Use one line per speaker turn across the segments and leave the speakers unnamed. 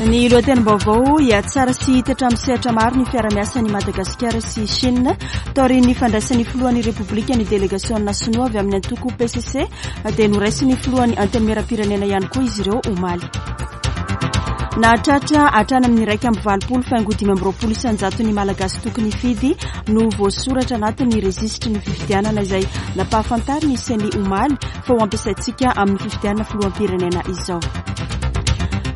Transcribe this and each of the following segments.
Ny lohatenim-baovao, hihatsara sy hitatra amin'ny sehatra maro ny fiara-miasan'i Madagasikara sy Chine. Taorian'ny fandraisan'ny filohan'ny Repoblika ny delegasiona sinoa avy amin'ny antoko PCC dia noraisin'ny filohan'ny Antenimierampirenena ihany koa izy ireo omaly. Nahatratra hatrany amin'ny 81 faingo 25 isan-jaton'ny Malagasy tokony hifidy no voasoratra anatin'ny rejisitry ny fifidianana izay nampahafantarin'ny Ceni omaly fa ho ampiasaintsika amin'ny fifidianana filoham-pirenena izao.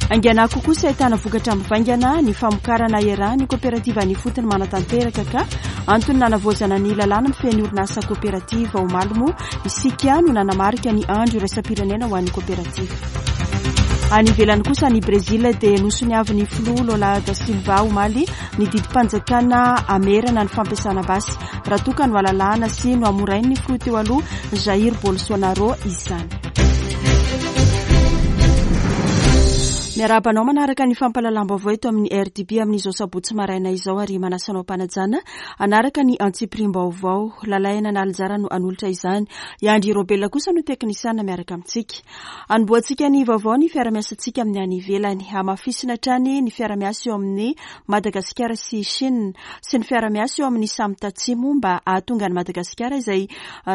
Haingana kokoa sy ahitana vokatra mivaingana ny famokarana iarahan'ny koperativa any ifotony manatanteraka ka antony nanavaozana ny lalàna mifehy ny orinasa koperativa. Omaly moa isika no nanamarika ny andro iraisam-pirenena ho an'ny koperativa. Any ivelany kosa any Brezila dia nosoniavin'ny filoha Lula da Silva omaly ny didim-panjakana hamerana ny fampiasana basy raha toa ka noalalahana sy nohamorain'ny filoha teo aloha Jair Bolsonaro izany. Miarahaba anao manaraka ny fampahalalam-baovao eto amin'ny RDB amin'izao sabotsy maraina izao ary manasa anao am-panajana hanaraka ny antsipiriam-baovao. Lalaina Analinjara no hanolotra izany. I Andry Robela kosa no teknisiana miaraka amintsika. Anombohantsika ny vaovao ny fiara-miasantsika amin'ny any ivelany. Hamafisina hatrany ny fiara-miasa eo amin'ny Madagasikara sy Chine sy ny fiara-miasa eo amin'ny samy tatsimo mba hahatonga an'i Madagasikara izay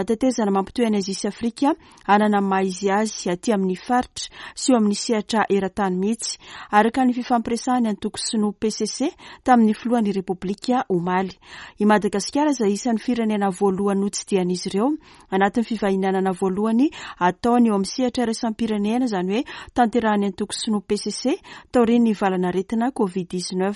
tetezana mampitohy an'i Azia sy Afrika hanana ny maha izy azy aty amin'ny faritra sy eo amin'ny sehatra eran-tany mihitsy, araka ny fifampiresahan'ny antoko sinoa PCC tamin'ny filohan'ny Repoblika omaly. I Madagasikara izay isan'ny firenena voalohany notsidihan'izy ireo anatin'ny fivahinanana voalohany ataony eo amin'ny sehatra iraisam-pirenena, izany hoe tanterahan'ny antoko sinoa PCC taorian'ny valanaretina Covid 19.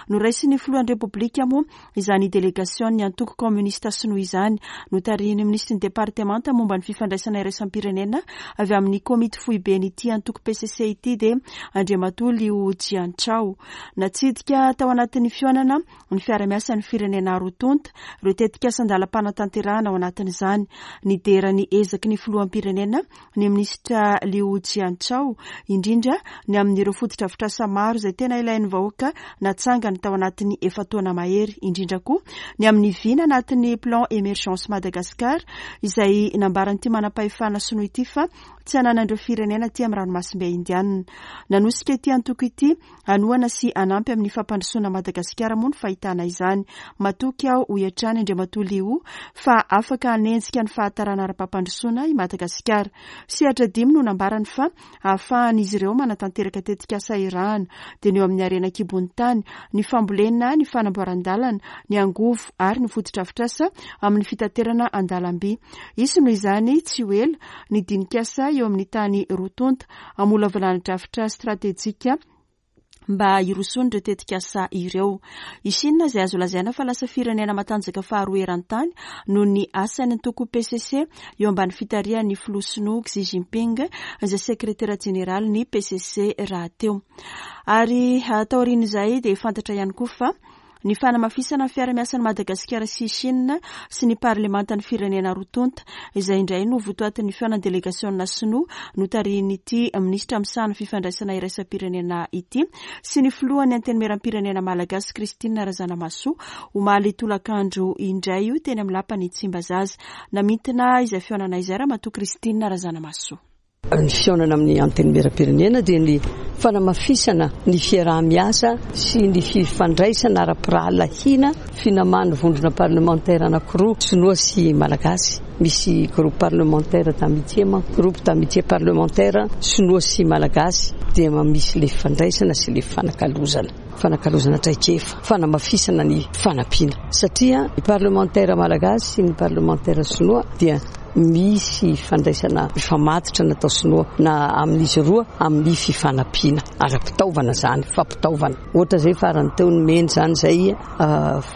Noraisin'ny filohan'ny Repoblika moa izany delegasion'ny antoko kaominista sinoa izany, notarihin'ny minisitry ny departemanta momba ny fifandraisana iraisam-pirenena avy amin'ny komity foiben'ity antoko PCC ity dia Andriamatoa Liu Jianchao. Natsidika tao anatin'ny fihaonana ny fiara-miasan'ny firenena roa tonta, ireo tetikasa an-dalam-panatanterahana ao anatin'izany. Nidera ny ezaky ny filoham-pirenena ny minisitra Liu Jianchao, indrindra ny amin'ireo fotodrafitrasa maro izay tena ilain'ny vahoaka natsangany tao anatin'ny efa-taona mahery, indrindra koa ny amin'ny vina anatin'ny Plan Emergence Madagascar izay nambaran'ity manam-pahefana sinoa ity fa tsy ananan'ireo firenena aty amin'ny ranomasimbe Indianina. Nanosika ity antoko ity Hanohana sy hanampy amin'ny fampandrosoana Madagasikara moa ny fahitana izany. Matoky aho, hoy hatrany Andriamatoa Liu, fa afaka hanenjika ny fahatarana ara-pampandrosoana i Madagasikara. Sehatra dimy no nambarany fa ahafahan'izy ireo manatanteraka tetikasa irahana, dia ny eo amin'ny harena an-kibon'ny tany, ny fambolena, ny fanamboaran-dalana, ny angovo ary ny fotodrafitrasa amin'ny fitaterana an-dalamby. Hisy noho izany tsy ho ela ny dinikasa eo amin'ny tany roa tonta hamolavolana drafitra stratejika mba hirosoan'ireo tetikasa ireo. I Shina izay azo lazaina fa lasa firenena matanjaka faharoa eran-tany noho ny asan'ny antoko PCC eo ambany fitarihan'ny filoha sinoa Xi Jinping izay sekretera jeneralin'ny PCC rahateo. Ary taorian'izay dia fantatra ihany koa fa Ny fanamafisana ny fiara-miasan'i Madagasikara sy Chine sy ny parlemantan'ny firenena roa tonta, izay indray no votoatin'ny fihaonan'ny delegasiona sinoa notarihin'ity minisitra misahana fifandraisana iraisam-pirenena ity sy ny filohan'ny Antenimierampirenena malagasy Christine Razanamahasoa omaly tolakandro indray io teny amin'ny lapan'i Tsimbazaza. Namintina izay fihaonana izay Ramatoa Christine Razanamahasoa.
Ny fihaonana amin'ny Antenimierampirenena dia ny fanamafisana ny fiaraha-miasa sy ny fifandraisana ara-pirahalahiana finaman'ny vondrona parlemantera anankiroa, sinoa sy malagasy. Misy groupe parlementaire d'amitié manko, groupe d'amitié parlementaire sinoa sy malagasy dia misy ilay fifandraisana sy ilay fifanakalozana. Fanakalozana traikefa, fanamafisana ny fanampiana satria ny parlemantera malagasy sy ny parlemantera sinoa dia Misy fandraisana mifamatotra natao sinoa na amin'izy roa amin'ny fifanampiana ara-pitaovana izany, fampitaovana. Ohatra izay farany teo nomeny izany izay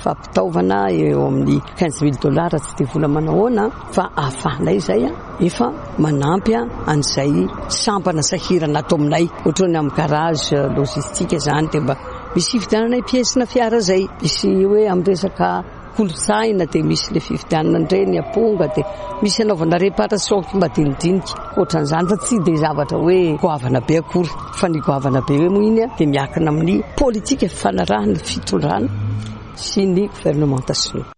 fampitaovana eo amin'ny 15 mille dollars tsy dia vola manahoana fa ahafahanay izay efa manampy an'izay sampana sahirana ato aminay. Ohatra ny amin'ny garage logistique izany dia mba misy hividiananay pièce-na fiara izay. Misy hoe amin'ny resaka Kolontsaina dia misy le fividianana an'ireny aponga dia misy anaovana réparation madinidinika ohatran'izany fa tsy dia zavatra hoe goavana be akory fa ny goavana be hoe moa iny dia miankina amin'ny politika fifanarahana fitondrana sy ny gouvernementa sinoa.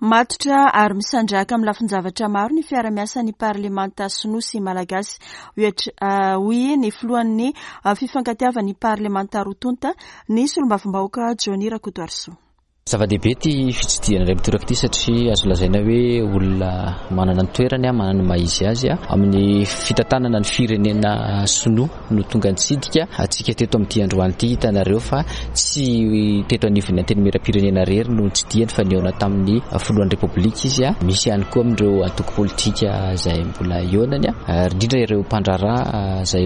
Matotra ary misandrahaka amin'ny lafin-javatra maro ny fiara-miasan'ny parlemanta sinoa sy malagasy, hoy ny filohan'ny fifankatiavan'ny parlemanta roa tonta, ny solombavambahoaka Johnny Rakotoarisoa.
Zava-dehibe ity fitsidihana indray mitoraka ity satria azo lazaina hoe olona manana ny toerany, manana ny maha izy azy amin'ny fitantanana ny firenena sinoa no tonga nitsidika antsika teto amin'ity androany ity. Hitanareo fa tsy teto anivon'ny Antenimierampirenena irery no nitsidihany fa nihaona tamin'ny filohan'ny Repoblika izy. Misy ihany koa amin'ireo antoko politika izay mbola hihaonany ary indrindra ireo mpandraharaha izay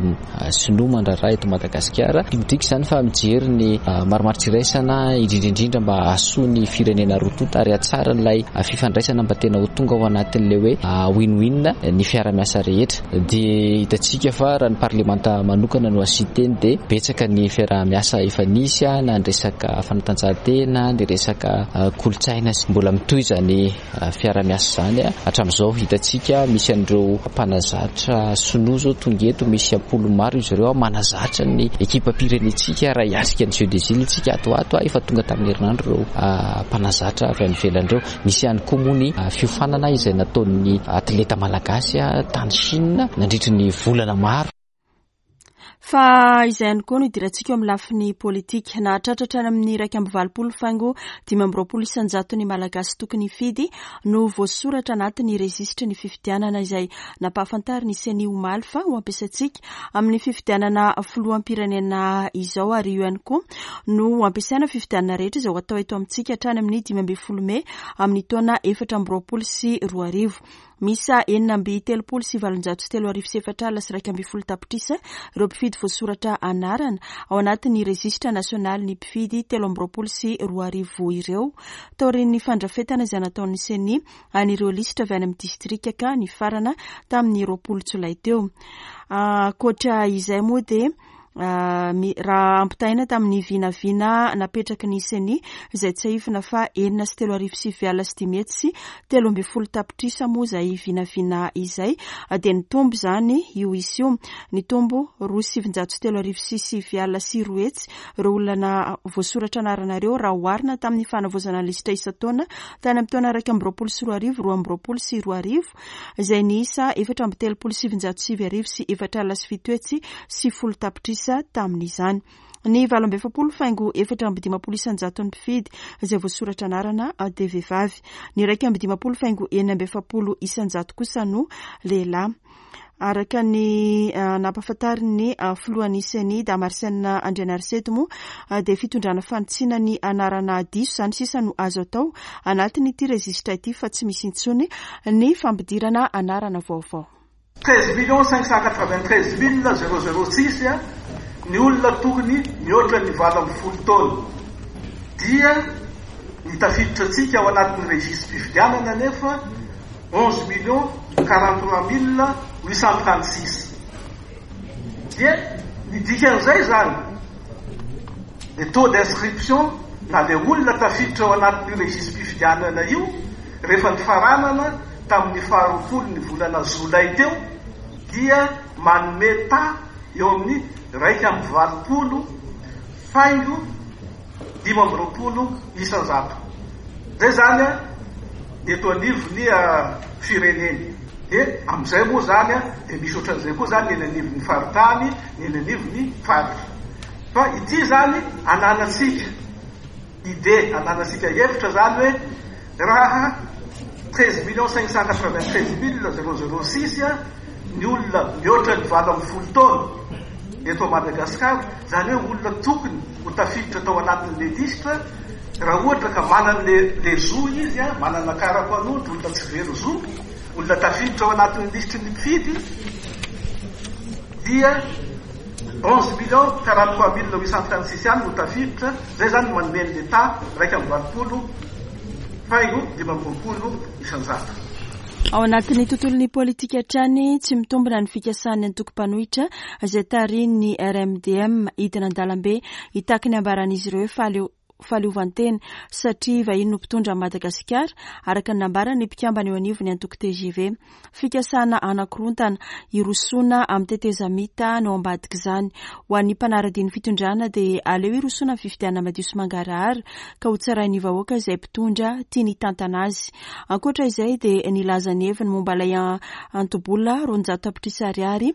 sinoa mandraharaha eto Madagasikara. Midika izany fa mijery ny marimaritra iraisana indrindra indrindra mba hahasoa ny firenena roa tonta ary hahatsara an'ilay fifandraisana mba tena ho tonga ao anatin'ilay hoe win-win ny fiara-miasa rehetra. Dia hitantsika fa raha ny parlemanta manokana no asian-teny dia betsaka ny fiaraha-miasa efa nisy na ny resaka fanatanjahantena, ny resaka kolontsaina sy mbola mitohy izany fiaraha-miasa izany hatramin'izao. Hitantsika misy an'ireo mpanazatra sinoa izao tonga eto, misy am-polony maro izy ireo manazatra ny ekipam-pirenentsika raha hiatrika ny Jeux des Îles isika ato ho ato. Efa tonga tamin'ny herinandro ireo mpanazatra avy any ivelany ireo. Nisy ihany koa moa ny fiofanana izay nataon'ny atleta malagasy tany Chine nandritry ny volana maro.
Fa izay ihany koa no idirantsika eo amin'ny lafiny politika. Nahatratra hatrany amin'ny 81 faingo 25% ny Malagasy tokony hifidy no voasoratra anatin'ny rejisitry ny fifidianana izay nampahafantarin'ny Ceni omaly fa ho ampiasaintsika amin'ny fifidianana filoham-pirenena izao ary io ihany koa no ho ampiasaina fifidianana rehetra izay ho atao eto amintsika hatrany amin'ny 15 mey amin'ny taona 2024. Miisa 3836 tapitrisa ireo mpifidy voasoratra anarana ao anatin'ny rejisitra nasionalin'ny mpifidy 2023 ireo taorian'ny fandrafetana izay nataon'ny Ceni an'ireo lisitra avy any amin'ny distrika ka nifarana tamin'ny 20 jolay teo. Ankoatra izay moa dia raha ampitahaina tamin'ny vinavina napetraky ny Ceni izay tsiahivina fa 506 913 tapitrisa moa izay vinavina izay dia nitombo izany io isa io. Nitombo 209 209 ireo olona voasoratra anarana ireo raha oharina tamin'ny fanavaozana ny lisitra isan-taona tany amin'ny taona 2021 2022 izay niisa 934 907 tapitrisa tamin'izany. Ny 48 faingo 54 isan-jaton'ny mpifidy izay voasoratra anarana dia vehivavy. Ny 51 faingo 46 isan-jato kosa no lehilahy. Araka ny nampahafantarin'ny filohan'ny Ceni Damarcène Andrianariseto moa dia fitondrana fanitsiana ny anarana diso izany sisa no azo atao anatin'ity rejisitra ity fa tsy misy intsony ny fampidirana anarana vaovao.
13 593 006 ny olona tokony mihoatra ny 18 taona dia ny tafiditra antsika ao anatin'ny rejistra-pifidianana nefa 11 043 836. Dia ny dikan'izay zany, le taux d'inscription na le olona tafiditra ao anatin'io rejistra-pifidianana io rehefa nifaranana tamin'ny 20 ny volana jolay teo dia manome ta eo amin'ny 81,25%. Zay zany a eto anivon'ny fireneny. Dia amin'izay moa zany a dia misy ohatran'izay koa zany ny eny anivon'ny faritany, ny eny anivon'ny faritra. Fa ity zany ananantsika idée, ananantsika hevitra zany hoe raha 13 593 006 ny olona mihoatra ny 18 taona eto Madagasikara, zany hoe olona tokony ho tafiditra tao anatin'le lisitra raha ohatra ka manana le zo izy a, manana kara-panondro, olona tsy very zo, olona tafiditra ao anatin'ny lisitry ny mpifidy, dia 11 043 836 ihany no tafiditra. Zay zany manome ny l'état 81,25%.
Ao anatin'ny tontolon'ny politika hatrany, tsy mitombina ny fikasan'ny antoko mpanohitra izay tarihin'ny RMDM hidina an-dalambe hitaky ny ambaran'izy ireo fa aleo fahaleovantena satria vahiny no mpitondra an'i Madagasikara, araka ny nambaran'ny mpikambana eo anivon'ny antoko tgv. Fikasana hanakorontana, hirosoana amin'ny tetezamita no ao ambadik'izany. Ho an'ny mpanara-dia ny fitondrana dia aleo hirosoana amin'ny fifidianana madio sy mangarahara ka hotsarain'ny vahoaka izay mpitondra tiany hitantana azy. Ankoatra izay dia nilaza ny heviny momba ilay anto-bola 200 tapitrisa ariary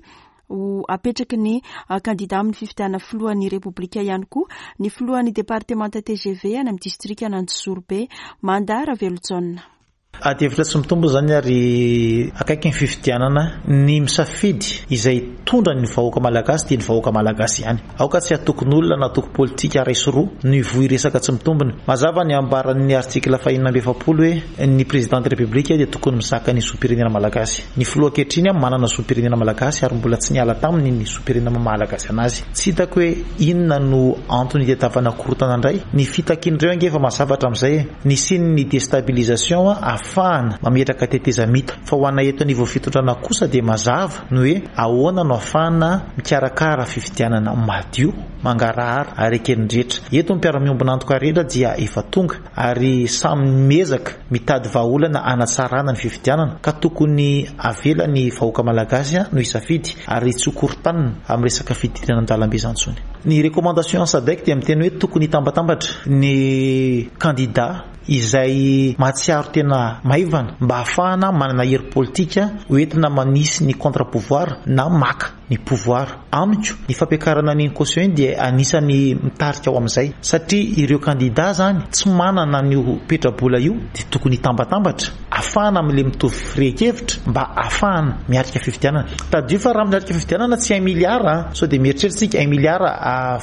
ho apetraky ny kandida amin'ny fifidianana filohan'ny Repoblika ihany koa ny filohan'ny departemanta tgv any amin'ny distrikan'Anjozorobe, Manda Ravelojaona.
Ady hevitra tsy mitombo izany ary akaiky ny fifidianana. Ny misafidy izay hitondra ny vahoaka malagasy dia ny vahoaka malagasy ihany. Aoka tsy hatokin'olona na antoko politika iray sy roa no hivoy resaka tsy mitombina. Mazava ny ambaran'ny article fahenina 46 hoe ny président de république dia tokony mizaka ny zom-pirenena malagasy. Ny filoha ankehitriny manana zom-pirenena malagasy ary mbola tsy niala taminy ny zom-pirenena maha malagasy anazy. Tsy hitako hoe inona no antony hitadiavana korontana indray. Ny fitakian'ireo ange efa mazava hatramin'izay e. Nisian'ny destabilisation ahafahana mametraka tetezamita. Fa ho anay eto anivon'ny fitondrana kosa dia mazava ny hoe ahoana no ahafahana mikarakara fifidianana madio, mangarahara ary eken'ny rehetra. Eto ny mpiara-miombon'antoka rehetra dia efa tonga ary samy miezaka mitady vahaolana hanatsarana ny fifidianana ka tokony avela ny vahoaka malagasy no hisafidy ary tsy ho korontanina amin'ny resaka fidirana an-dalambe izany intsony. Ny recommandation Sadec dia miteny hoe tokony hitambatambatra ny kandida izay mahatsiaro tena maivana mba hahafahana manana hery politika hoentina manisy ny contre pouvoir na maka ny pouvoir. Amiko, ny fampiakarana an'iny caution iny dia anisan'ny mitarika ho amin'izay satria ireo kandida izany tsy manana an'io petrabola io dia tokony hitambatambatra ahafahana amin'ilay mitovy firehan-kevitra mba ahafahana miatrika fifidianana. Tadidio fa raha miatrika fifidianana tsy un milliard an, sao dia mieritreritra isika un milliard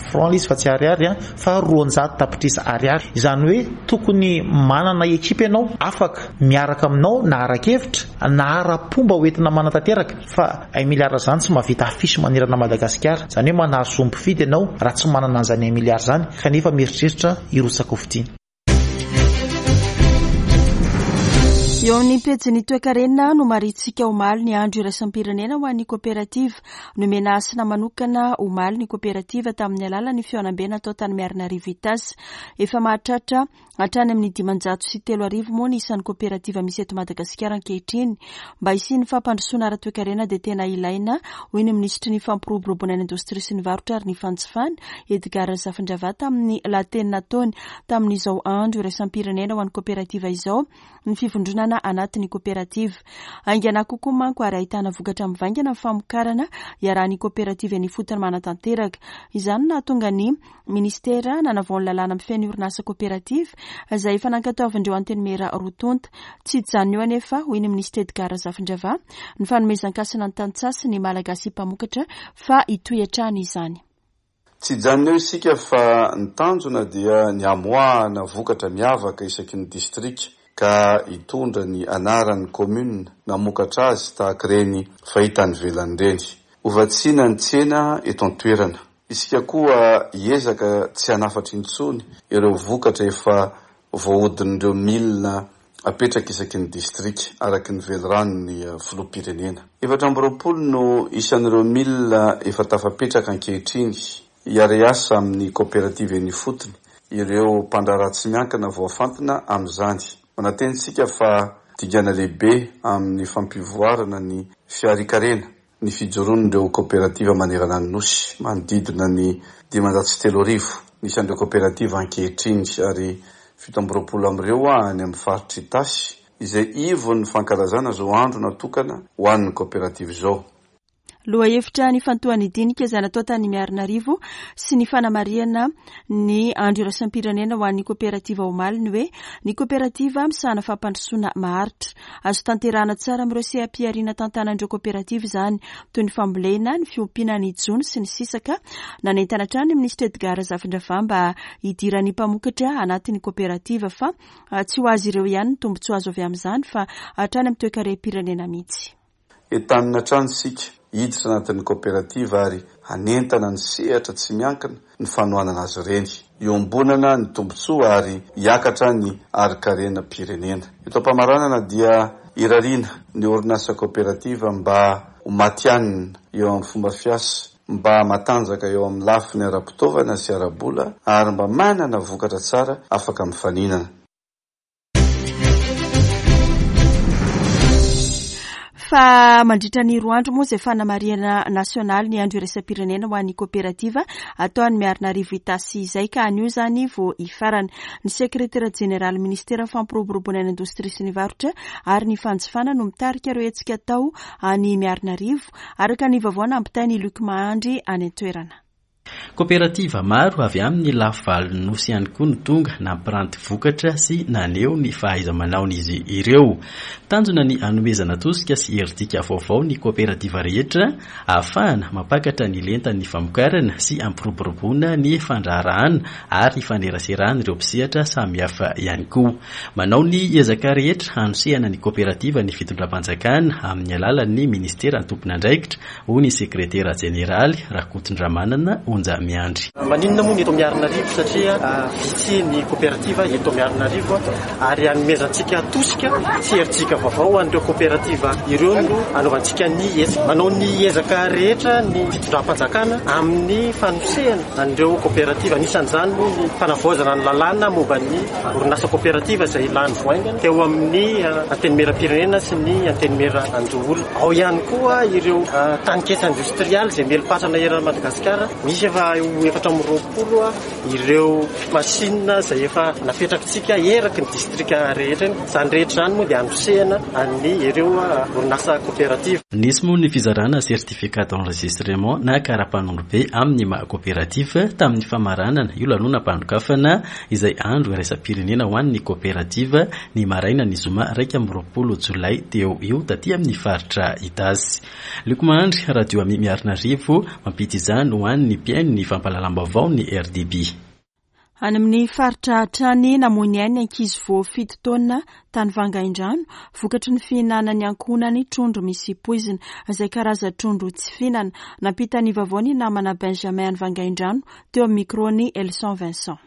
franc ilay izy fa tsy ariary an, fa 200 tapitrisa ariary. Izany hoe tokony manana ekipa ianao afaka miaraka aminao na ara-kevitra na ara-pomba ho entina manatanteraka fa un milliard izany tsy mahavita affiche manerana Madagasikara. Izany hoe manary zo mpifidy ianao raha tsy manana an'izany un milliard izany kanefa mieritreritra hirotsaka hofidiana.
Eo amin'ny pejin'ny toekarena no marintsika omaly ny andro iraisam-pirenena ho an'ny koperativa. Nomena hasina manokana omaly ny koperativa tamin'ny alalan'ny fihaonambe natao tany Miarinarivo Itasy. Efa mahatratra hatrany amin'ny 3500 moa ny isan'ny koperativa misy eto Madagasikara ankehitriny. Mba hisian'ny fampandrosoana ara-toekarena dia tena ilaina, hoy ny minisitry ny fampiroboroboana ny indostria sy ny varotra ary ny fanjifana, Edgard Razafindravahy tamin'ny lahateny nataony tamin'izao andro iraisam-pirenena ho an'ny koperativa izao ny fivondronana anatin'ny koperativa. Haingana kokoa manko ary ahitana vokatra mivaingana ny famokarana iarahan'ny koperativa eny ifotony manatanteraka. Izany no nahatonga ny Minisitera nanavao ny lalàna mifehy ny orinasa koperativa izay efa nankatoavin'ireo antenimiera roa tonta. Tsy hijanona eo anefa, hoy ny minisitra Edgard Razafindravahy, ny fanomezan-kasina ny tantsaha sy ny Malagasy mpamokatra fa hitohy hatrany izany.
Tsy hijanona eo isika fa ny tanjona dia ny hamoahana vokatra miavaka isaky ny distrika ka hitondra ny anaran'ny commune namokatra azy tahaka ireny fahita any ivelany ireny. Hovatsiana ny tsena eto an-toerana. Isika koa hiezaka tsy hanafatra intsony ireo vokatra efa voahodin'ireo milina apetraka isaky ny distrika, araka ny veliranon'ny filoham-pirenena. 24 no isan'ireo milina efa tafapetraka ankehitriny hiara-hiasa amin'ny kaoperativa eny ifotony ireo mpandraharaha tsy miankina voafantina amin'izany. Manantena isika fa dingana lehibe amin'ny fampivoarana ny fiharian-karena ny fijoroan'ireo kaoperativa manerana ny Nosy, manodidina ny 3500 ny isan'ireo kaoperativa ankehitriny ary 27 amin'ireo any amin'ny faritr'i Itasy, izay ivon'ny fankalazana izao andro natokana ho an'ny kaoperativa izao.
Lohahevitra nifantohan'ny dinika izay natao tany Miarinarivo sy ny fanamarihana ny andro iraisam-pirenena ho an'ny koperativa omaly ny hoe ny koperativa misahana fampandrosoana maharitra. Azo tanterahana tsara amin'ireo seha-pihariana tantanan'ireo koperativa izany, toy ny fambolena, ny fiompiana ny jono sy ny sisa ka nanentana hatrany ny minisitra Edgard Razafindravahy mba hidiran'ny mpamokatra anatin'ny koperativa fa tsy ho azy ireo ihany ny tombontsoa azo avy amin'izany fa hatrany amin'ny toekarem-pirenena mihitsy.
Entanina hatrany isika hiditra anatin'ny kaoperativa ary hanentana ny sehatra tsy miankina ny fanohanana azy ireny. Iombonana ny tombontsoa ary hiakatra ny harinkarenam-pirenena. Eto am-pamaranana dia irariana ny orinasa kaoperativa mba ho matihanina eo amin'ny fomba fiasa. mba matanjaka eo amin'ny lafiny ara-pitaovana sy ara-bola ary mba manana vokatra tsara afaka mifaninana.
Fa mandritra ny roa andro moa izay fanamarihana nasionaly ny andro iraisam-pirenena ho an'ny koperativa atao any Miarinarivo Itasy izay ka anio izany vao hifarana. Ny sekretera jeneraly minisiteran'ny fampiroboroboana ny indostria sy ny varotra ary ny fanjifana no mitarika ireo hetsika atao any Miarinarivo, araka ny vaovao nampitain'i Luc Mahandry any an-toerana.
Koperativa maro avy amin'ny lafivalon'ny Nosy ihany koa no tonga nampiranty vokatra sy naneho ny fahaiza-manaon'izy ireo. Tanjona ny hanomezana tosika sy herijika vaovao ny koperativa rehetra ahafahana mampakatra ny lentan'ny famokarana sy hampiroboroboana ny fandraharahana ary hifaneraseran'ireo mpisehatra samihafa ihany koa. Manao ny ezaka rehetra hanosehana ny koperativa ny fitondram-panjakana amin'ny alalan'ny minisitera tompon'andraikitra hoy ny sekretera jeneraly, Rakotondramanana Onja Miandry.
Maninona moa ny eto Miarinarivo satria vitsy ny koperativa eto Miarinarivo ary hanomezantsika tosika sy herijika vaovao ho an'ireo koperativa ireo no hanaovantsika ny hetsika. Manao ny ezaka rehetra ny fitondram-panjakana amin'ny fanosehana an'ireo koperativa. Anisan'izany moa ny fanavaozana ny lalàna momba ny orinasa koperativa izay lany vao haingana teo amin'ny Antenimierampirenena sy ny Antenimierandoholona. Ao ihany koa ireo taninketsa indostrialy izay mieli-patrana eran'i Madagasikara. Misy efa ho 24 ireo machine izay efa napetrakitsika eraky ny distrika rehetra eny. Izany rehetra izany moa dia hanosehana an'ny ireo orinasa koperativa.
Nisy moa ny fizarana certificat d'enregistrement na kara-panondrobe amin'ny maha koperativa tamin'ny famaranana io lanonam-panokafana izay andro iraisam-pirenena ho an'ny koperativa ny marainan'ny zoma 21 jolay teo io taty amin'ny faritra Itasy. Luc Mahandry, Radio Ami Miarinarivo, mampita izany ho an'ny mpihaino ny fampahalalam-baovaon'ny RDB.
Any amin'ny faritra hatrany, namoy ny ainy ny ankizy vao fito taona tany Vangaindrano, vokatry ny fihinanan'ny ankohonany trondro misy poizina, izay karazan-trondro tsy fihinana. Nampita ny vaovao ny namana Benjamin any Vangaindrano, teo amin'ny micro-n'i Elson Vincent.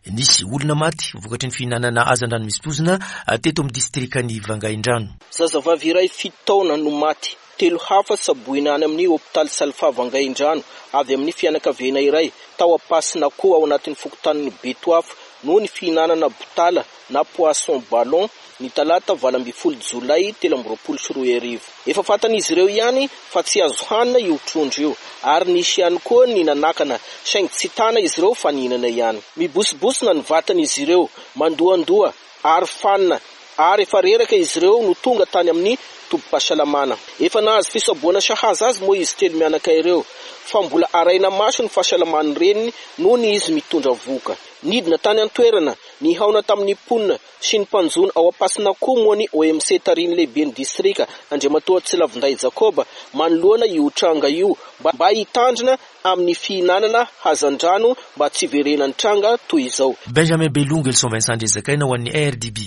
Nisy olona maty vokatry ny fihinanana hazandrano misy poizina teto amin'ny distrikan'i Vangaindrano.
Zazavavy iray fito taona no maty, telo hafa tsaboina any amin'ny hopitaly Salfa Vangaindrano avy amin'ny fianakaviana iray tao Ampasinakoho ao anatin'ny fokontanin'i Betoafo noho ny fihinanana botala na poisson ballon ny talata 18 jolay 2023. Efa fantan'izy ireo ihany fa tsy azo hanina io trondro io ary nisy ihany koa ny nanakana saingy tsy tana izy ireo fa nihinana ihany. Mibosibosina ny vatan'izy ireo, mandohandoha ary fanina ary efa reraka izy ireo no tonga tany amin'ny tobim-pahasalamana. Efa nahazo fisaboana sahaza azy moa izy telo mianaka ireo fa mbola arahina maso ny fahasalaman'ny reniny nony izy mitondra vohoka. Nidina tany an-toerana, nihaona tamin'ny mponina sy ny mpanjono ao Ampasinakoho moa ny OMC tarihin'ny lehiben'ny distrika Andriamatoa Tsilavindahy Jacob manoloana io tranga io mba hitandrina amin'ny fihinanana hazandrano mba tsy hiverenan'ny tranga toy izao.
Benjamin Belongo, Elson Vincent Andriazakaina ho an'ny RDB.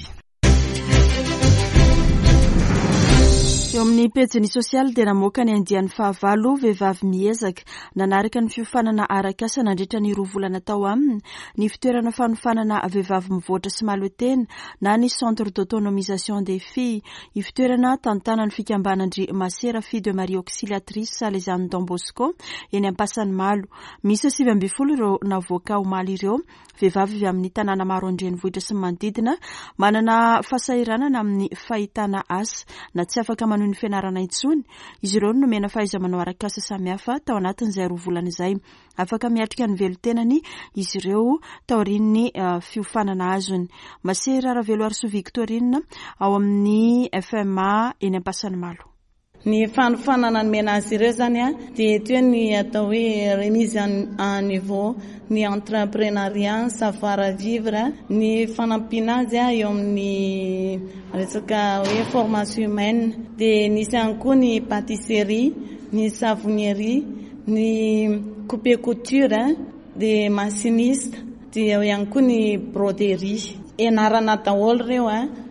Eo amin'ny pejiny sosialy dia namoaka ny andiany fahavalo Vehivavy miezaka. Nanaraka ny fiofanana arak'asa nandritra ny roa volana tao aminy ny fitoerana fanofanana vehivavy mivoatra sy mahaleo tena na ny Centre d'autonomisation des filles. Ivotoerana tantanan'ny fikambanan-dry Masera Fille de Marie Auxiliatrice Salesian'ny Don Bosco eny Ampasanimalo. Miisa 19 ireo navoaka omaly ireo, vehivavy avy amin'ny tanàna maro an-drenivohitra sy ny manodidina, manana fahasahiranana amin'ny fahitana asa na tsy afaka manohy ny fianarana intsony. Izy ireo no nomena fahaiza-manao arak'asa samihafa tao anatin'izay roa volana izay. Afaka miatrika ny velon-tenany izy ireo taorian'ny fiofanana azony. Masera Raveloarisoa Victorine ao amin'ny FMA eny Ampasanimalo.
Ny fanofanana nomena azy ireo izany dia eto hoe ny atao hoe remise à niveau ny entreprenariat, savoir vivre, ny fanampiana azy eo amin'ny resaka hoe formation humaine. Dia nisy ihany koa ny pâtisserie, ny savonnerie, Ny coupe couture dia machiniste, dia eo ihany koa ny broderie. Ianarana daholo ireo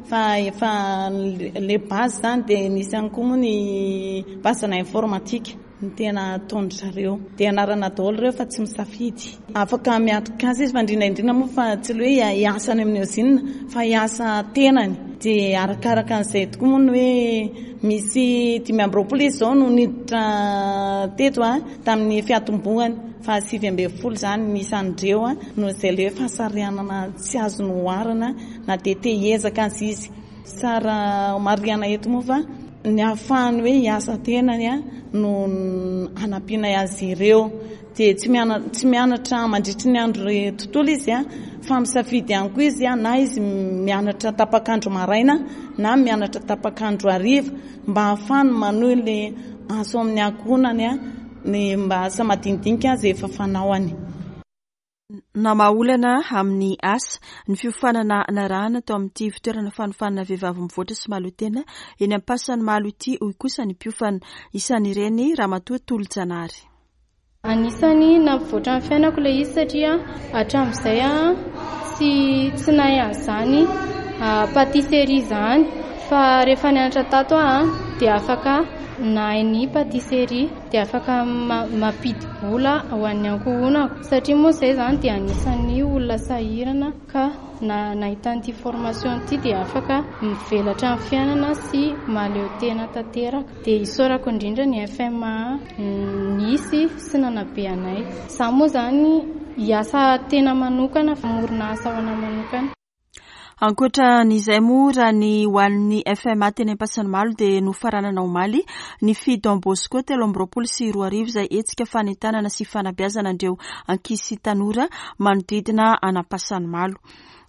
fa efa le base izany dia nisy ihany koa moa ny base na informatique no tena ataon-dry zareo. Dia ianarana daholo ireo fa tsy misafidy. Afaka miatrika azy izy fa indrindra indrindra moa fa tsy le hoe hiasa any amin'ny usine fa hiasa tenany. Dia arakaraka an'izay tokoa moa ny hoe. Misy 25 izy izao no niditra teto tamin'ny fiatombohany fa 19 izany ny isan'ireo noho izay ilay hoe fahasarihanana tsy azo noharina na dia te hiezaka aza izy. Tsara homarihana eto moa fa ny ahafahany hoe hiasa tenany no hanampianay azy ireo. Dia tsy tsy mianatra mandritry ny andro tontolo izy fa misafidy ihany koa izy na izy mianatra tapak'andro maraina na mianatra tapak'andro hariva mba ahafahany manohy ilay asa ao amin'ny ankohonany ny mba asa madinidinika izay efa fanaony.
Namaha olana amin'ny asa ny fiofanana narahana tao amin'ity fitoerana fanofanana vehivavy mivoatra sy mahaleo tena eny Ampasanimalo ity, hoy kosa ny mpiofana. Isan'ireny Ramatoa Tolojanahary.
Anisan'ny nampivoatra ny fiainako ilay izy satria hatramin'izay aho tsy tsy nahay an'izany pâtisserie izany fa rehefa nianatra tato aho dia afaka nahay ny pâtisserie dia afaka mampidi-bola ho an'ny ankohonako satria moa izay izany dia anisan'ny olona sahirana ka na nahita an'ity formation ity dia afaka mivelatra amin'ny fiainana sy mahaleo tena tanteraka. Dia isaorako indrindra ny FMA nisy sy nanabe anay. Izaho moa izany hiasa tena manokana, hamorona asa ho anà manokana.
Ankoatra an'izay moa raha ny ho an'ny FMA teny Ampasanimalo dia nofaranana omaly ny Fille Don Bosco 2023 izay hetsika fanentanana sy fanabeazana an'ireo ankizy sy tanora manodidina an'Ampasanimalo.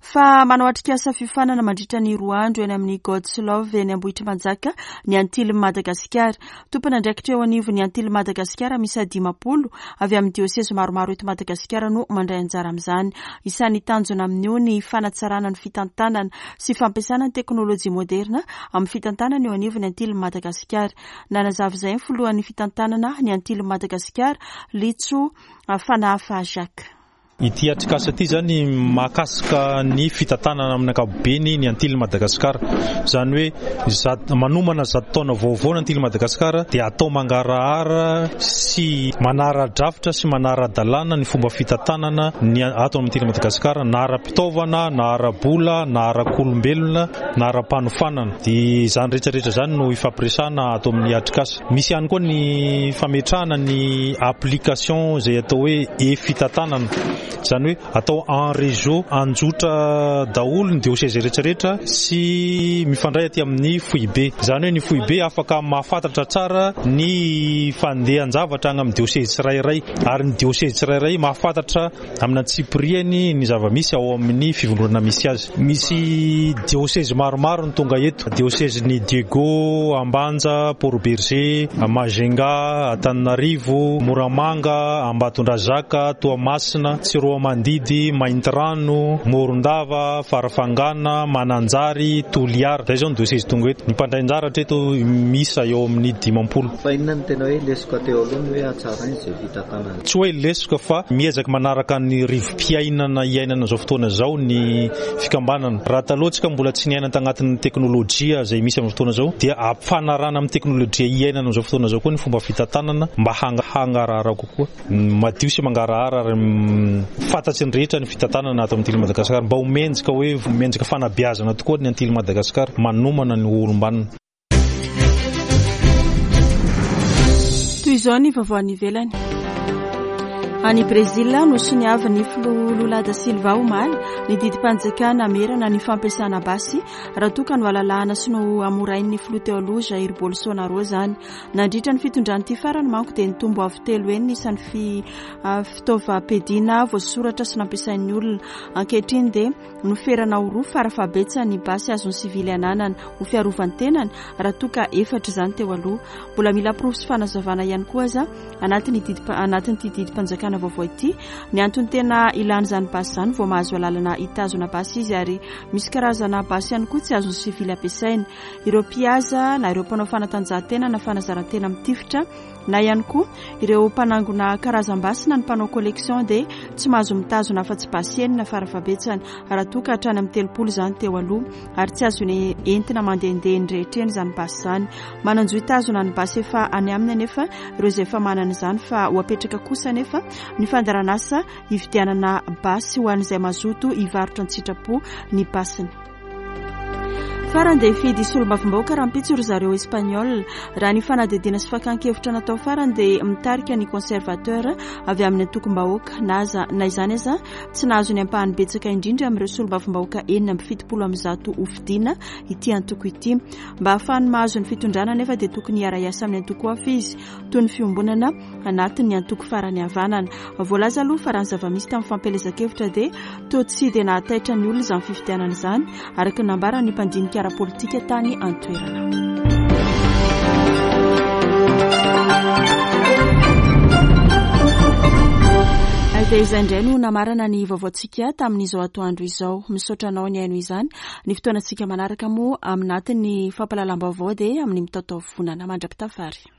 Fa manao atrikasa fiofanana mandritra ny roa andro eny amin'ny God's Love eny Ambohitrimanjaka ny Antilin'i Madagasikara. Tompon'andraikitra eo anivon'ny Antilin'i Madagasikara miisa 50 avy amin'ny diosezy maromaro eto Madagasikara no mandray anjara amin'izany. Isan'ny tanjona amin'io ny fanatsarana ny fitantanana sy fampiasana ny teknolojia moderna amin'ny fitantanana eo anivon'ny Antilin'i Madagasikara. Nanazava izay ny filohan'ny fitantanana ny Antilin'i Madagasikara, Litso Fanahafa Jacques.
Ity atrikasa ity izany mahakasika ny fitantanana amin'ny ankapobeny ny Antilin'i Madagasikara. Izany hoe manomana zato taona vaovao ny Antilin'i Madagasikara dia atao mangarahara sy manara-drafitra sy manara-dalàna ny fomba fitantanana ny ato amin'ny Antilin'i Madagasikara na ara-pitaovana na ara-bola na ara-kolombelona na ara-panofanana. Dia izany rehetra rehetra izany no ifampiresahana ato amin'ny atrikasa. Misy ihany koa ny fametrahana ny application izay atao hoe e-fitantanana, izany hoe atao en réseau, anjotra daholo ny diocèse rehetra rehetra sy mifandray aty amin'ny foibe. Izany hoe ny foibe afaka mahafantatra tsara ny fandehan-javatra any amin'ny diocèse tsirairay ary ny diocèse tsirairay mahafantatra Amin'ny antsipiriany ny zava-misy ao amin'ny fivondronana misy azy. Misy diosezy maromaro no tonga eto, diosezin'i Diego, Ambanja, Port Bergé, Majunga, Antananarivo, Moramanga, Ambatondrazaka, Toamasina, Tsiroamandidy, Maintirano, Morondava, Farafangana, Mananjary, Toliara. Izay izao ny diosezy tonga eto. Ny mpandray anjara hatreto miisa eo amin'ny 50.
Fa inona no tena hoe lesoka teo aloha ny hoe hatsaraina izay fitantanana?
Tsy hoe lesoka fa miezaka manaraka ny rivo-piainana iainana izao fotoana izao ny fikambanana. Raha taloha tsika mbola tsy niaina tagnatin'ny teknolojia izay misy amin'izao fotoana izao dia ampifanarahana amin'ny teknolojia iainana amin'izao fotoana izao koa ny fomba fitantanana mba hangarahara kokoa. Madio sy mangarahara ary fantatry ny rehetra ny fitantanana ato amin'ny Tily Madagascar. Mba ho mendrika hoe mendrika fanabeazana tokoa ny Antily Madagascar manomana ny ho olom-banona.
Toy izao ny vaovao any ivelany. Any Brezila, nosoniavin'ny filoha Lula da Silva omaly ny didim-panjakana hamerana ny fampiasana basy raha toa ka nohalalahana sy nohamorain'ny filoha teo aloha Jair Bolsonaro izany. Nandritra ny fitondran'ity farany manko dia nitombo avo telo heny ny isan'ny fitaovam-piadiana voasoratra sy nampiasain'ny olona. Ankehitriny dia Noferana ho roa farafahabetsany ny basy azon'ny sivily ananana ho fiarovan-tenany raha toa ka efatra izany teo aloha. Mbola mila porofo sy fanazavana ihany koa aza anatin'ny didim anatin'ity didim-panjakana vaovao ity ny antony tena ilana izany basy izany vao mahazo alalana hitazona basy izy ary misy karazana basy ihany koa tsy azon'ny sivily ampiasaina. Ireo mpihaza na ireo mpanao fanatanjahantena na fanazaran-tena mitifitra na ihany koa ireo mpanangona karazam-basy na ny mpanao collection dia tsy mahazo mitazona afa-tsy basy enina farafahabetsany raha toa ka hatrany amin'ny 30 izany teo aloha ary tsy azony entina mandehandeha eny rehetra eny izany basy izany. Manan-jo hitazona ny basy efa any aminy anefa ireo izay efa manana izany fa ho apetraka kosa anefa ny fandaharanasa hividianana basy ho an'izay mazoto hivarotra an-tsitrapo ny basiny. Farany dia hifidy solombavambahoaka rahampitso ry zareo Espagnol. Raha ny fanadihadiana sy fakan-kevitra natao farany dia mitarika ny conservateur avy amin'ny antokom-bahoaka na aza na izany aza tsy nahazo ny ampahany betsaka indrindra amin'ireo solombavambahoaka 176 hofidiana ity antoko ity. Mba hahafahany mahazo ny fitondrana anefa dia tokony hiara-hiasa amin'ny antoko hafa izy toy ny fiombonana anatin'ny antoko farany havanana. Voalaza aloha fa raha ny zava-misy tamin'ny fampielezan-kevitra dia toa tsy dia nahataitra ny olona izany fifidianana izany, araka ny nambaran'ny mpandinika ara-politika tany an-toerana. Dia izay indray no namarana ny vaovaontsika tamin'izao atoandro izao. Misaotra anao nihaino izany. Ny fotoanantsika manaraka moa aminatin'ny fampahalalam-baovao dia amin'ny mitaotaovonana mandra-pitafary.